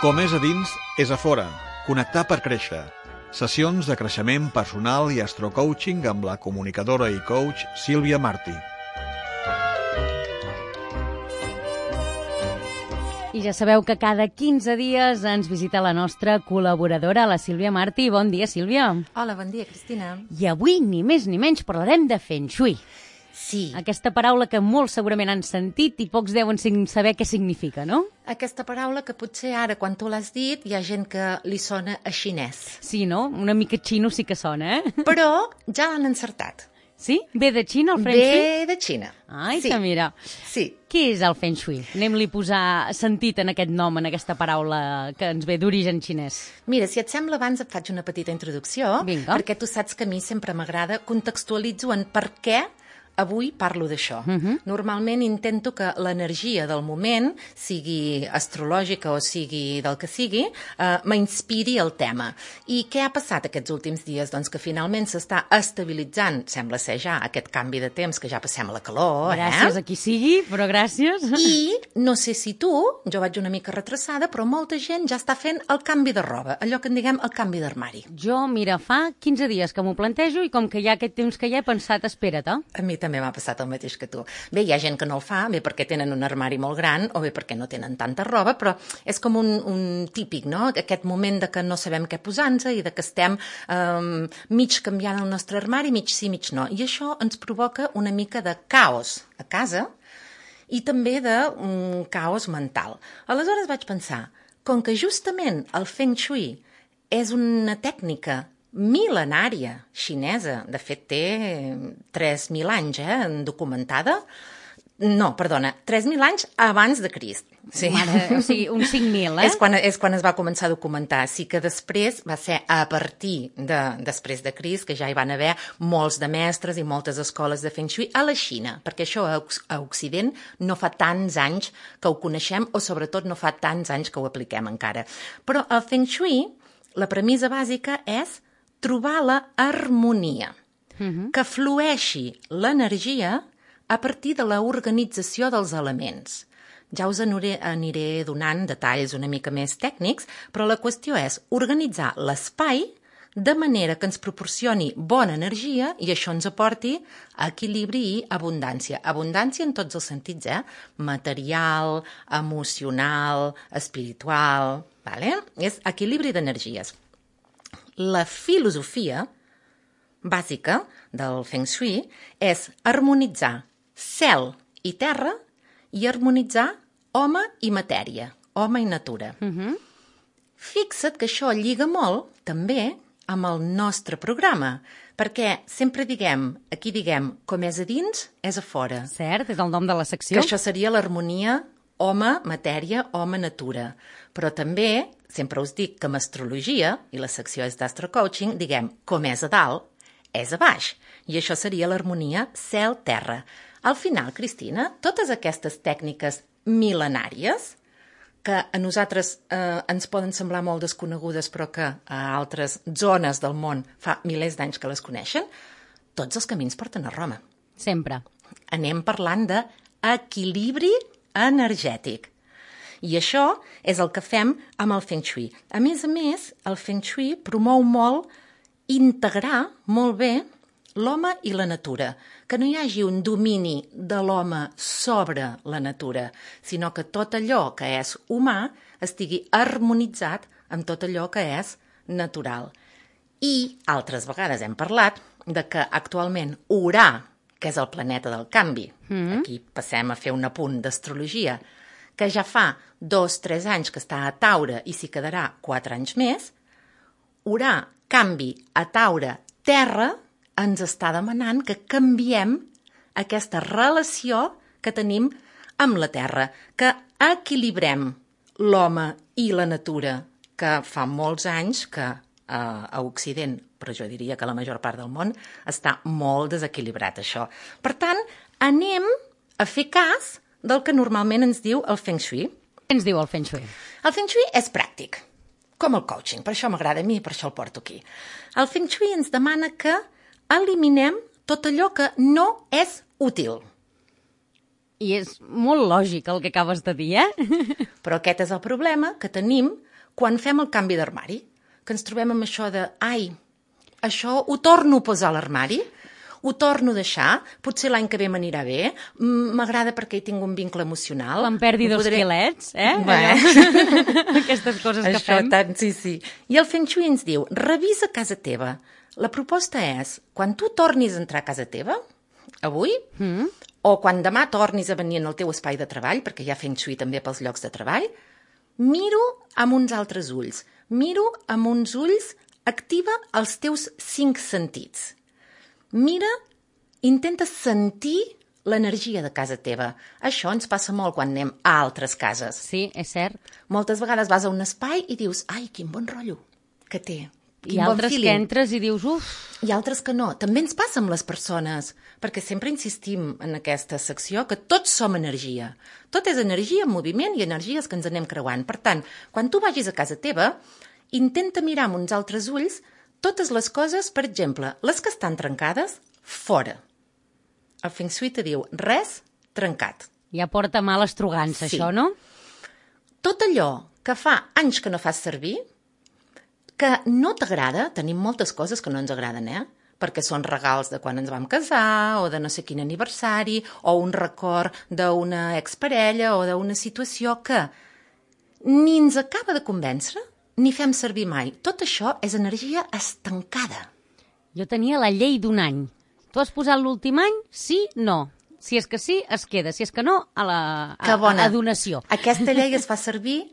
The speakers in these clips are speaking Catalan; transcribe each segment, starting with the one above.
Com és a dins, és a fora. Connectar per créixer. Sessions de creixement personal i astrocoaching amb la comunicadora i coach Sílvia Martí. I ja sabeu que cada 15 dies ens visita la nostra col·laboradora, la Sílvia Martí. Bon dia, Sílvia. Hola, bon dia, Cristina. I avui, ni més ni menys, parlarem de Feng Shui. Sí. Aquesta paraula que molts segurament han sentit i pocs deuen saber què significa, no? Aquesta paraula que potser ara, quan tu l'has dit, hi ha gent que li sona a xinès. Sí, no? Una mica xino sí que sona, eh? Però ja l'han encertat. Sí? Ve de Xina, el Feng Shui? Ve de Xina. Ai, sí. que mira. Sí. Què és el Feng Shui? Anem-li a posar sentit en aquest nom, en aquesta paraula que ens ve d'origen xinès. Mira, si et sembla, abans et faig una petita introducció. Vinga. Perquè tu saps que a mi sempre m'agrada, contextualitzo en per què avui parlo d'això. Normalment intento que l'energia del moment, sigui astrològica o sigui del que sigui, m'inspiri el tema. I què ha passat aquests últims dies? Doncs que finalment s'està estabilitzant, sembla ser ja, aquest canvi de temps, que ja passem a la calor. Gràcies a qui sigui, però gràcies. I no sé si tu, jo vaig una mica retrasada, però molta gent ja està fent el canvi de roba, allò que en diguem el canvi d'armari. Jo, mira, fa 15 dies que m'ho plantejo i com que hi ha aquest temps que ja he pensat, espera't, A mi també m'ha passat el mateix que tu. Bé, hi ha gent que no el fa, bé perquè tenen un armari molt gran o bé perquè no tenen tanta roba, però és com un típic, no? Aquest moment de que no sabem què posar-nos i de que estem mig canviant el nostre armari, mig sí, mig no. I això ens provoca una mica de caos a casa i també de caos mental. Aleshores vaig pensar, com que justament el Feng Shui és una tècnica mil·lenària xinesa, de fet té 3.000 anys documentada, no, perdona, 3.000 anys abans de Crist. Sí. Mare, o sigui, uns 5.000, És quan es va començar a documentar. Sí que després va ser a partir després de Crist, que ja hi van haver molts de mestres i moltes escoles de Feng Shui a la Xina, perquè això a Occident no fa tants anys que ho coneixem o sobretot no fa tants anys que ho apliquem encara. Però el Feng Shui, la premissa bàsica és trobar la harmonia, que flueixi l'energia a partir de l'organització dels elements. Ja us aniré donant detalls una mica més tècnics, però la qüestió és organitzar l'espai de manera que ens proporcioni bona energia i això ens aporti equilibri i abundància. Abundància en tots els sentits, material, emocional, espiritual, vale? És equilibri d'energies. La filosofia bàsica del Feng Shui és harmonitzar cel i terra i harmonitzar home i matèria, home i natura. Fixa't que això lliga molt, també, amb el nostre programa, perquè sempre aquí diguem, com és a dins, és a fora. Cert, és el nom de la secció. Que això seria l'harmonia home, matèria, home, natura. Però també, sempre us dic que amb astrologia, i la secció és d'astrocoaching, diguem, com és a dalt, és a baix. I això seria l'harmonia cel-terra. Al final, Cristina, totes aquestes tècniques mil·lenàries, que a nosaltres ens poden semblar molt desconegudes, però que a altres zones del món fa milers d'anys que les coneixen, tots els camins porten a Roma. Sempre. Anem parlant d'equilibri energètic. I això és el que fem amb el Feng Shui. A més, el Feng Shui promou molt integrar molt bé l'home i la natura, que no hi hagi un domini de l'home sobre la natura, sinó que tot allò que és humà estigui harmonitzat amb tot allò que és natural. I altres vegades hem parlat de que actualment Urà, que és el planeta del canvi, aquí passem a fer un apunt d'astrologia, que ja fa 2-3 anys que està a Taure i s'hi quedarà 4 anys més, Urà, canvi a Taure, terra, ens està demanant que canviem aquesta relació que tenim amb la terra, que equilibrem l'home i la natura, que fa molts anys que a Occident, però jo diria que la major part del món, està molt desequilibrat això. Per tant, anem a fer cas del que normalment ens diu el Feng Shui. Què ens diu el Feng Shui? El Feng Shui és pràctic, com el coaching, per això m'agrada a mi i per això el porto aquí. El Feng Shui ens demana que eliminem tot allò que no és útil. I és molt lògic el que acabes de dir, Però aquest és el problema que tenim quan fem el canvi d'armari, que ens trobem amb això de, ai, això ho torno a posar a l'armari, ho torno a deixar, potser l'any que ve m'anirà bé, m'agrada perquè hi tinc un vincle emocional. Quan perdi 2 quilets, Aquestes coses que fem. Tant, sí. I el Feng Shui ens diu, revisa casa teva. La proposta és, quan tu tornis a entrar a casa teva, avui, o quan demà tornis a venir en el teu espai de treball, perquè hi ha Feng Shui també pels llocs de treball, miro amb uns altres ulls. Miro amb uns ulls, activa els teus 5 sentits. Mira, intenta sentir l'energia de casa teva. Això ens passa molt quan anem a altres cases. Sí, és cert. Moltes vegades vas a un espai i dius, ai, quin bon rotllo que té. I altres que entres i dius, uf. I altres que no. També ens passa amb les persones, perquè sempre insistim en aquesta secció que tots som energia. Tot és energia en moviment i energies que ens anem creuant. Per tant, quan tu vagis a casa teva, intenta mirar amb uns altres ulls totes les coses, per exemple, les que estan trencades, fora. El Feng Shui te diu, res trencat. Ja porta mal estrugança, Sí. això, no? Tot allò que fa anys que no fas servir, que no t'agrada, tenim moltes coses que no ens agraden, perquè són regals de quan ens vam casar, o de no sé quin aniversari, o un record d'una exparella, o d'una situació que ni ens acaba de convèncer, ni fem servir mai. Tot això és energia estancada. Jo tenia la llei d'un any. Tu has posat l'últim any? Sí, no. Si és que sí, es queda. Si és que no, a donació. Aquesta llei es fa servir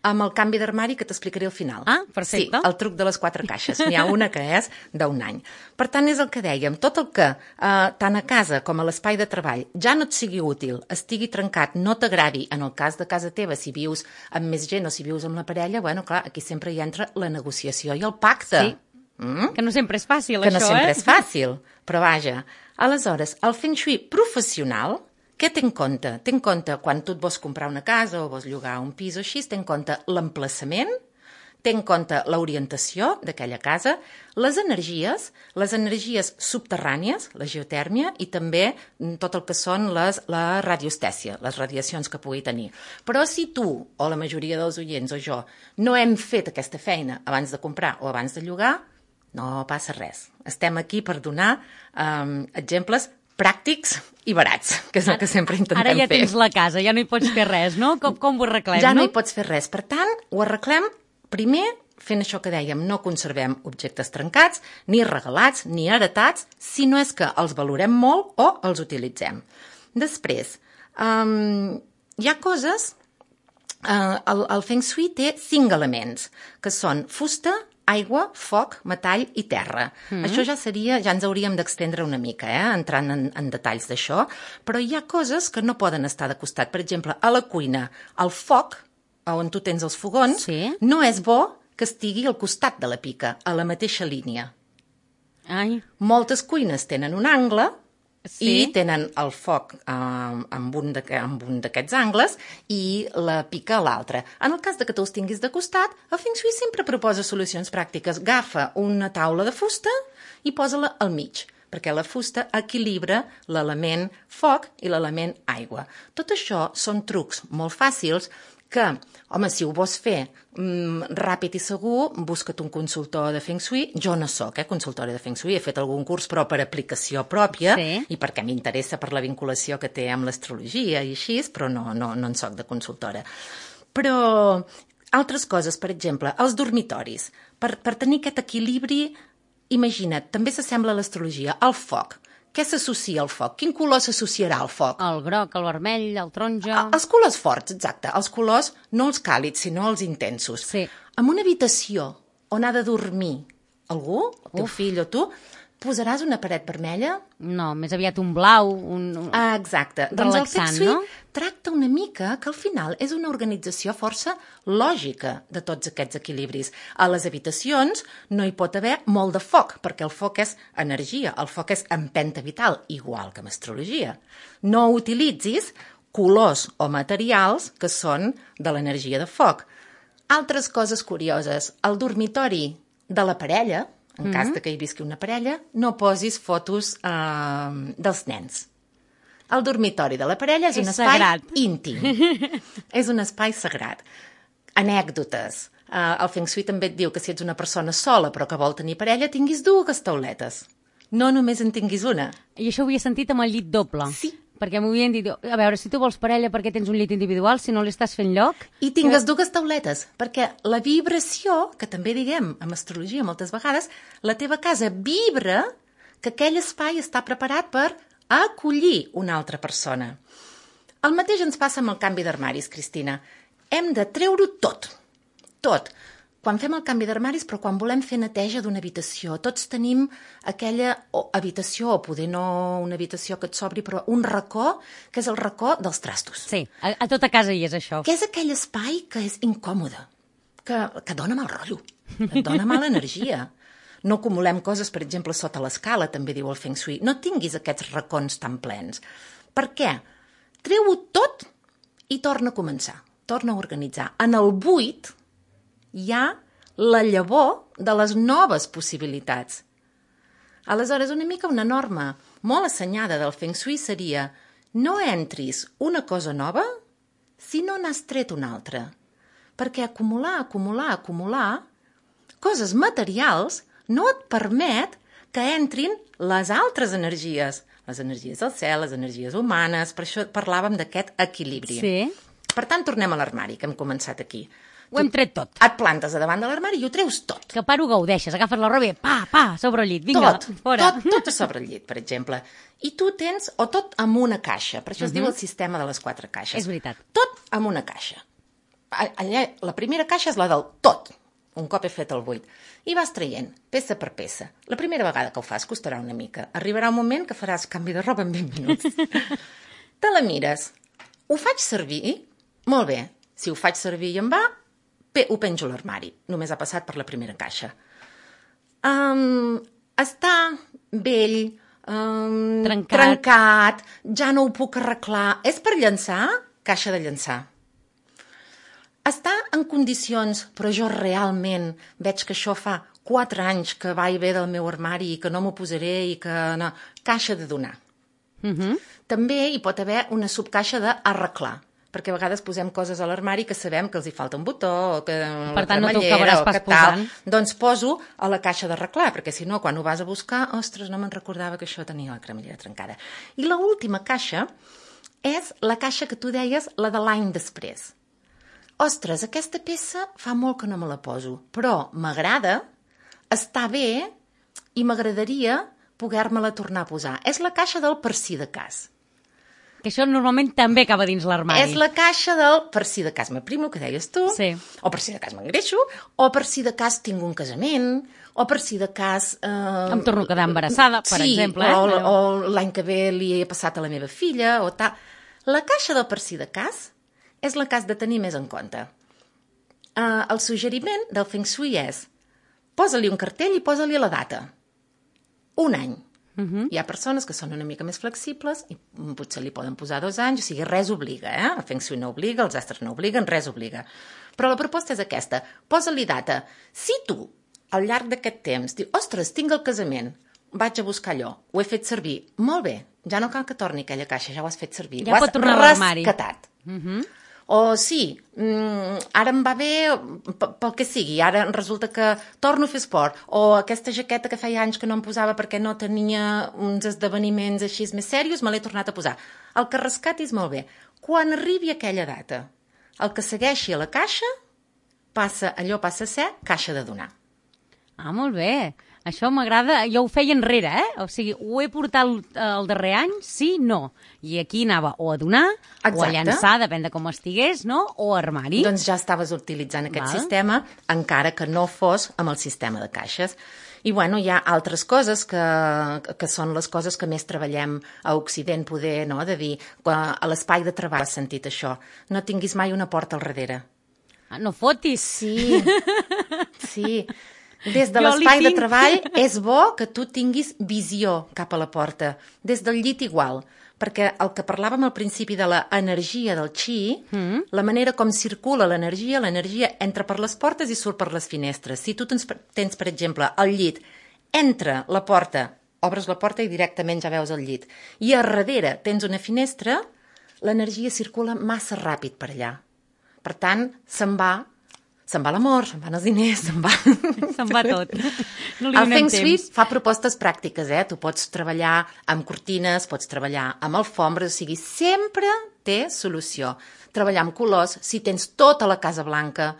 amb el canvi d'armari que t'explicaré al final. Ah, perfecte. Sí, el truc de les 4 caixes. N'hi ha una que és d'un any. Per tant, és el que dèiem. Tot el que, tant a casa com a l'espai de treball, ja no et sigui útil, estigui trencat, no t'agradi, en el cas de casa teva, si vius amb més gent o si vius amb la parella, bueno, clar, aquí sempre hi entra la negociació i el pacte. Sí. Que no sempre és fàcil, que això, no sempre és fàcil, però vaja. Aleshores, el Feng Shui professional, què té en compte? Té en compte quan tu et vols comprar una casa o vols llogar un pis o així, té en compte l'emplaçament, té en compte l'orientació d'aquella casa, les energies subterrànies, la geotèrmia i també tot el que són la radiostèsia, les radiacions que pugui tenir. Però si tu, o la majoria dels oients o jo, no hem fet aquesta feina abans de comprar o abans de llogar, no passa res. Estem aquí per donar exemples pràctics i barats, que és el que sempre intentem fer. Ara ja tens la casa, ja no hi pots fer res, no? Com ho arreglem, ja no no? hi pots fer res. Per tant, ho arreglem primer fent això que dèiem, no conservem objectes trencats, ni regalats, ni heretats, si no és que els valorem molt o els utilitzem. Després, hi ha coses... El Feng Shui té 5 elements, que són fusta, aigua, foc, metall i terra. Això ja ens hauríem d'extendre una mica, entrant en detalls d'això, però hi ha coses que no poden estar de costat. Per exemple, a la cuina, el foc, on tu tens els fogons, Sí. no és bo que estigui al costat de la pica, a la mateixa línia. Ai, Moltes cuines tenen un angle Sí. i tenen el foc amb un d'aquests angles i la pica a l'altre. En el cas de que tu els tinguis de costat, el Feng Shui sempre proposa solucions pràctiques. Agafa una taula de fusta i posa-la al mig, perquè la fusta equilibra l'element foc i l'element aigua. Tot això són trucs molt fàcils que, home, si ho vols fer ràpid i segur, busca't un consultor de Feng Shui. Jo no soc consultora de Feng Shui, he fet algun curs però per aplicació pròpia i perquè m'interessa per la vinculació que té amb l'astrologia i així, però no en soc de consultora. Però altres coses, per exemple, els dormitoris. Per tenir aquest equilibri, imagina't, també s'assembla a l'astrologia, al foc. Què s'associa al foc? Quin color s'associarà al foc? el groc, el vermell, el taronja... Els colors forts, exacte. Els colors no els càlids, sinó els intensos. Sí. En una habitació on ha de dormir algú, el teu fill o tu, posaràs una paret vermella? No, més aviat un blau, Exacte. Doncs el Feng relaxant, Shui no? tracta una mica que al final és una organització força lògica de tots aquests equilibris. A les habitacions no hi pot haver molt de foc, perquè el foc és energia, el foc és empenta vital, igual que amb astrologia. No utilitzis colors o materials que són de l'energia de foc. Altres coses curioses. Al dormitori de la parella, en cas de que hi visqui una parella, no posis fotos dels nens. El dormitori de la parella és un espai sagrat. íntim. És un espai sagrat. Anècdotes. El Feng Shui també et diu que si ets una persona sola però que vol tenir parella, tinguis 2 tauletes. No només en tinguis una. I això ho havia sentit amb el llit doble. Sí. Perquè m'ho havien dit, a veure, si tu vols parella perquè tens un llit individual, si no li estàs fent lloc... I tingues 2 tauletes, perquè la vibració, que també diguem amb astrologia moltes vegades, la teva casa vibra que aquell espai està preparat per acollir una altra persona. El mateix ens passa amb el canvi d'armaris, Cristina. Hem de treure-ho tot. Quan fem el canvi d'armaris, però quan volem fer neteja d'una habitació, tots tenim aquella habitació, o poder no una habitació que et sobri, però un racó, que és el racó dels trastos. Sí, a tota casa hi és això. Que és aquell espai que és incòmode, que dona mal rotllo, et dona mala energia. No acumulem coses, per exemple, sota l'escala, també diu el Feng Shui. No tinguis aquests racons tan plens. Per què? Treu-ho tot i torna a començar, torna a organitzar. En el buit hi ha la llavor de les noves possibilitats. Aleshores, una mica una norma molt assenyada del Feng Shui seria no entris una cosa nova si no n'has tret una altra. Perquè acumular coses materials no et permet que entrin les altres energies. Les energies del cel, les energies humanes, per això parlàvem d'aquest equilibri. Sí. Per tant, tornem a l'armari, que hem començat aquí. Ho hem tret tot. Et plantes a davant de l'armari i ho treus tot. Que paro gaudeixes, agafes la roba i sobre el llit, vinga, fora. Tot a sobre el llit, per exemple. I tu tens, o tot amb una caixa, per això es diu el sistema de les 4 caixes. És veritat. Tot amb una caixa. Allà, la primera caixa és la del tot, un cop he fet el buit. I vas traient, peça per peça. La primera vegada que ho fas costarà una mica. Arribarà un moment que faràs canvi de roba en 20 minuts. Te la mires. Ho faig servir? Molt bé. Si ho faig servir i em va, ho penjo a l'armari. Només ha passat per la primera caixa. Està vell, trencat, ja no ho puc arreglar. És per llançar? Caixa de llançar. Està en condicions, però jo realment veig que això fa 4 anys que va i ve del meu armari i que no m'ho posaré i que no... Caixa de donar. També hi pot haver una subcaixa d'arreglar, perquè a vegades posem coses a l'armari que sabem que els hi falta un botó o que per tant no t'ho acabaràs pas posant. Doncs poso a la caixa d'arreglar, perquè si no, quan ho vas a buscar, ostres, no me'n recordava que això tenia la cremallera trencada. I l'última caixa és la caixa que tu deies, la de l'any després. Ostres, aquesta peça fa molt que no me la poso, però m'agrada, està bé i m'agradaria poder-me-la tornar a posar. És la caixa del per si de cas. Que això normalment també acaba dins l'armari. És la caixa del per si de cas m'aprimo, que deies tu, sí. O per si de cas m'engreixo, o per si de cas tinc un casament, o per si de cas... Em torno a quedar embarassada, per exemple. O l'any que ve li he passat a la meva filla, o tal. La caixa del per si de cas és la que has de tenir més en compte. El suggeriment del Feng Shui és posa-li un cartell i posa-li la data. Un any. Hi ha persones que són una mica més flexibles i potser li poden posar 2 anys, o sigui, res obliga, eh? El Feng Shui no obliga, els astres no obliguen, res obliga. Però la proposta és aquesta, posa-li data. Si tu, al llarg d'aquest temps, dius, ostres, tinc el casament, vaig a buscar allò, ho he fet servir, molt bé, ja no cal que torni aquella caixa, ja ho has fet servir, ja ho has rescatat. O sí, ara em va bé pel que sigui, ara resulta que torno a fer esport, o aquesta jaqueta que feia anys que no em posava perquè no tenia uns esdeveniments així més serios, me l'he tornat a posar. El que rescatis molt bé. Quan arribi aquella data, el que segueixi a la caixa, allò passa a ser caixa de donar. Ah, molt bé. Això m'agrada, jo ho feia enrere, O sigui, ho he portat el darrer any, sí, no. I aquí anava o a donar, o a llançar, depèn de com estigués, no? O a armari. Doncs ja estaves utilitzant aquest sistema, encara que no fos amb el sistema de caixes. I bueno, hi ha altres coses que són les coses que més treballem a Occident, poder, no?, de dir, a l'espai de treball has sentit això, no tinguis mai una porta al darrere. Ah, no fotis! Sí. Des de l'espai de treball és bo que tu tinguis visió cap a la porta. Des del llit igual, perquè el que parlàvem al principi de l'energia del Qi, la manera com circula l'energia entra per les portes i surt per les finestres. Si tu tens, per exemple, el llit, entra la porta, obres la porta i directament ja veus el llit, i a darrere tens una finestra, l'energia circula massa ràpid per allà. Per tant, se'n va se'n va l'amor, se'n van els diners, se'n va... Se'n va tot. No li El donem Feng Shui temps. fa propostes pràctiques, Tu pots treballar amb cortines, pots treballar amb alfombres, o sigui, sempre té solució. Treballar amb colors, si tens tota la Casa Blanca,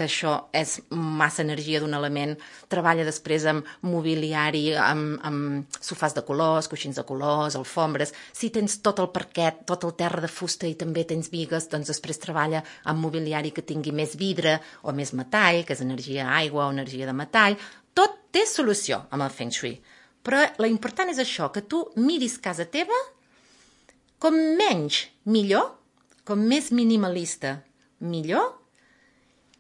que això és massa energia d'un element, treballa després amb mobiliari, amb sofàs de colors, coixins de colors, alfombres. Si tens tot el parquet, tot el terra de fusta i també tens bigues, doncs després treballa amb mobiliari que tingui més vidre o més metall, que és energia aigua o energia de metall. Tot té solució amb el Feng Shui. Però l'important és això, que tu miris casa teva com menys, millor, com més minimalista, millor,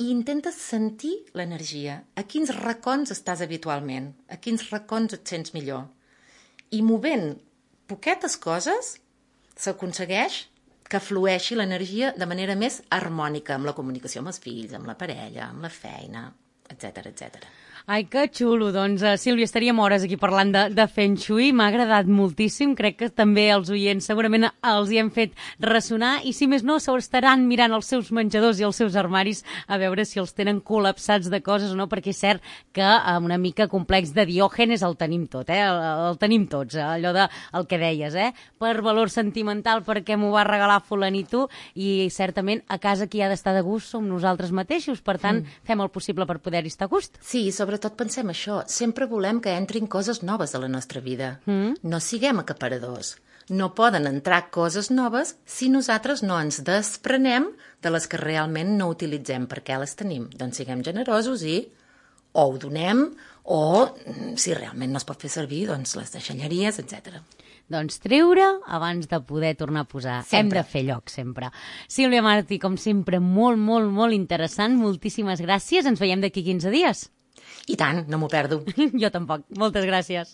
i intentes sentir l'energia. A quins racons estàs habitualment? A quins racons et sents millor? I movent poquetes coses s'aconsegueix que flueixi l'energia de manera més harmònica amb la comunicació amb els fills, amb la parella, amb la feina, etc etc. Ai, que xulo. Doncs, Sílvia, estaríem hores aquí parlant de Feng Shui. M'ha agradat moltíssim. Crec que també els oients segurament els hi hem fet ressonar i, si més no, estaran mirant els seus menjadors i els seus armaris a veure si els tenen col·lapsats de coses o no, perquè és cert que una mica complex de Diògenes el tenim tot, el tenim tots, allò de el que deies, per valor sentimental, perquè m'ho va regalar fulanito, i certament a casa qui ha d'estar de gust som nosaltres mateixos, per tant, fem el possible per poder-hi estar a gust. Sí, sobretot pensem això, sempre volem que entrin coses noves a la nostra vida. No siguem acaparadors. No poden entrar coses noves si nosaltres no ens desprenem de les que realment no utilitzem. Per què les tenim? Doncs siguem generosos i o ho donem o, si realment no es pot fer servir, doncs les deixalleries, etc. Doncs treure abans de poder tornar a posar. Sempre. Hem de fer lloc, sempre. Sílvia Martí, com sempre, molt, molt, molt interessant. Moltíssimes gràcies. Ens veiem d'aquí 15 dies. I tant, no m'ho perdo. Jo tampoc. Moltes gràcies.